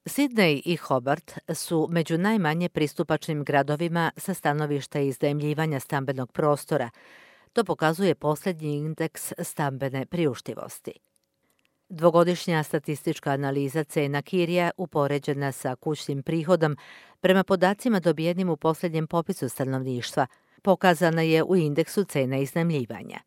Sidney i Hobart su među najmanje pristupačnim gradovima sa stanovišta iznajmljivanja stambenog prostora. To pokazuje posljednji indeks stambene priuštivosti. Dvogodišnja statistička analiza cena kirija upoređena sa kućnim prihodom prema podacima dobijenim u posljednjem popisu stanovništva pokazana je u indeksu cena iznajmljivanja.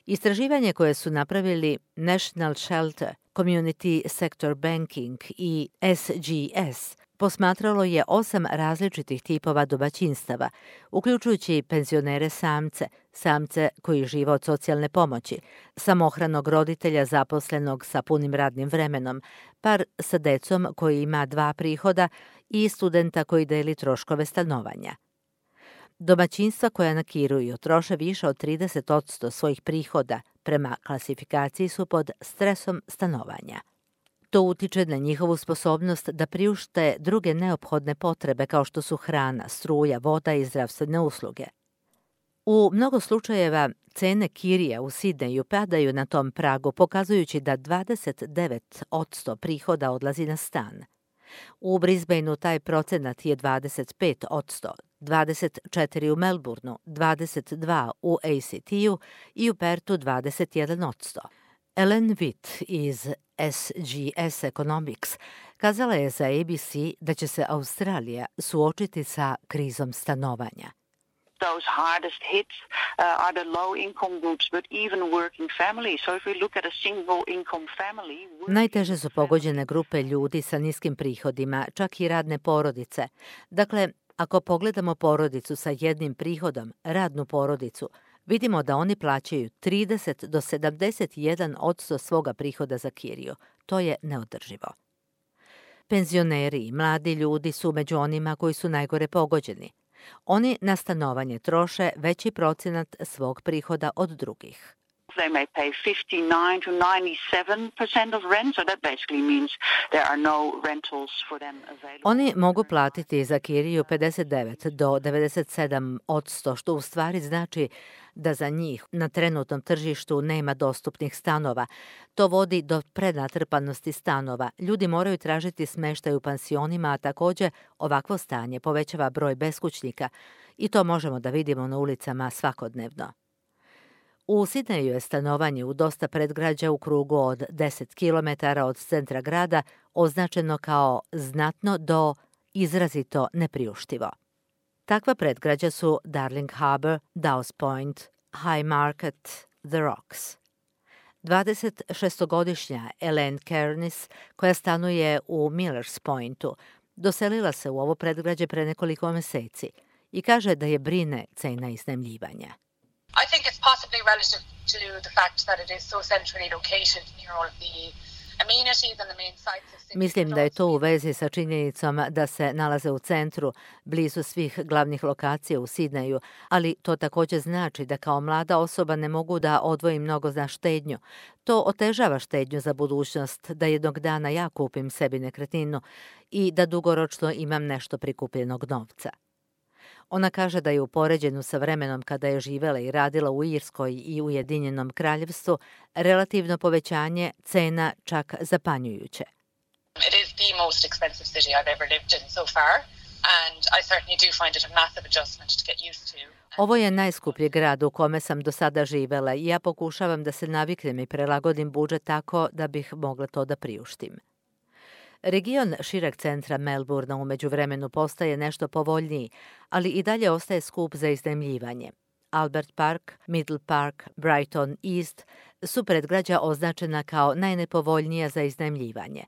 Istraživanje koje su napravili National Shelter, Community Sector Banking i SGS posmatralo je 8 različitih tipova domaćinstava, uključujući penzionere samce, samce koji žive od socijalne pomoći, samohranog roditelja zaposlenog sa punim radnim vremenom, par sa decom koji ima 2 prihoda i studenta koji deli troškove stanovanja. Domaćinstva koja nakiruju troše više od 30% svojih prihoda prema klasifikaciji su pod stresom stanovanja. To utiče na njihovu sposobnost da priušte druge neophodne potrebe kao što su hrana, struja, voda i zdravstvene usluge. U mnogo slučajeva cene kirija u Sidneju padaju na tom pragu, pokazujući da 29% prihoda odlazi na stan. U Brisbaneu taj procenat je 25%, 24% u Melbourneu, 22% u ACT-u i u Perthu 21%. Ellen Witt iz SGS Economics kazala je za ABC da će se Australija suočiti sa krizom stanovanja. Those hardest hits are the low income groups, but even working families. So if we look at a single income family... Najteže su pogođene grupe ljudi sa niskim prihodima, čak i radne porodice. Dakle, ako pogledamo porodicu sa jednim prihodom, radnu porodicu, vidimo da oni plaćaju 30 do 71% svoga prihoda za kiriju. To je neodrživo. Penzioneri i mladi ljudi su među onima koji su najgore pogođeni. Oni na stanovanje troše veći procenat svog prihoda od drugih. They may pay 59 to 97% of rent, so that basically means there are no rentals for them available. Oni mogu platiti za kiriju 59 do 97%, što u stvari znači da za njih na trenutnom tržištu nema dostupnih stanova. To vodi do prenatrpanosti stanova. Ljudi moraju tražiti smještaj u pansionima, a također ovakvo stanje povećava broj beskućnika i to možemo da vidimo na ulicama svakodnevno. U Sidneju je stanovanje u dosta predgrađa u krugu od 10 km od centra grada označeno kao znatno do izrazito nepriuštivo. Takva predgrađa su Darling Harbour, Dawes Point, High Market, The Rocks. 26-godišnja Elaine Kernis, koja stanuje u Millers Pointu, doselila se u ovo predgrađe pre nekoliko meseci i kaže da je brine cena iznajmljivanja. I think it's possibly relative to the fact that it is so centrally located near all of the amenities and the main sites of Sydney. Mislim da je to u vezi sa činjenicom da se nalaze u centru, blizu svih glavnih lokacija u Sidneju, ali to također znači da kao mlada osoba ne mogu da odvojim mnogo za štednju. To otežava štednju za budućnost, da jednog dana ja kupim sebi nekretninu i da dugoročno imam nešto prikupljenog novca. Ona kaže da je u poređenju sa vremenom kada je živjela i radila u Irskoj i Ujedinjenom kraljevstvu relativno povećanje cena čak zapanjujuće. It is the most expensive city I've ever lived in so far, and I certainly do find it a massive adjustment to get used to. Ovo je najskuplji grad u kome sam do sada živjela i ja pokušavam da se naviknem i prelagodim budžet tako da bih mogla to da priuštim. Region šireg centra Melbournea u međuvremenu postaje nešto povoljniji, ali i dalje ostaje skup za iznajmljivanje. Albert Park, Middle Park, Brighton East su predgrađa označena kao najnepovoljnija za iznajmljivanje.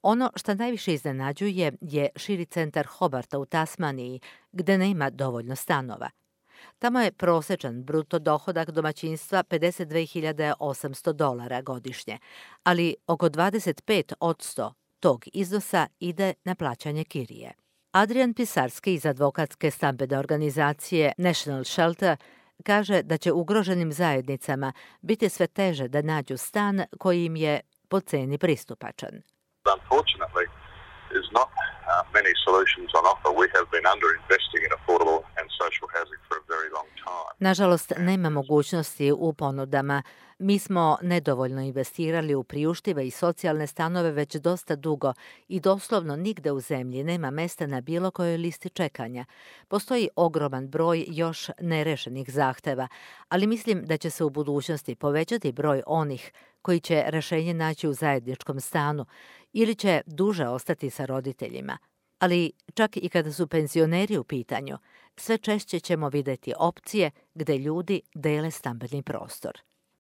Ono što najviše iznenađuje je širi centar Hobarta u Tasmaniji, gde nema dovoljno stanova. Tamo je prosečan bruto dohodak domaćinstva $52.800 godišnje, ali oko 25% tog iznosa ide na plaćanje kirije. Adrian Pisarski iz advokatske stambene organizacije National Shelter kaže da će ugroženim zajednicama biti sve teže da nađu stan koji im je po ceni pristupačan. Unfortunately, there's not many solutions on offer. We have been underinvesting in affordable and social housing for a very long time. Nažalost, nema mogućnosti u ponudama. Mi smo nedovoljno investirali u priuštive i socijalne stanove već dosta dugo i doslovno nigde u zemlji nema mesta na bilo kojoj listi čekanja. Postoji ogroman broj još nerešenih zahteva, ali mislim da će se u budućnosti povećati broj onih koji će rešenje naći u zajedničkom stanu ili će duže ostati sa roditeljima. Ali čak i kada su penzioneri u pitanju, sve češće ćemo videti opcije gde ljudi dele stambeni prostor.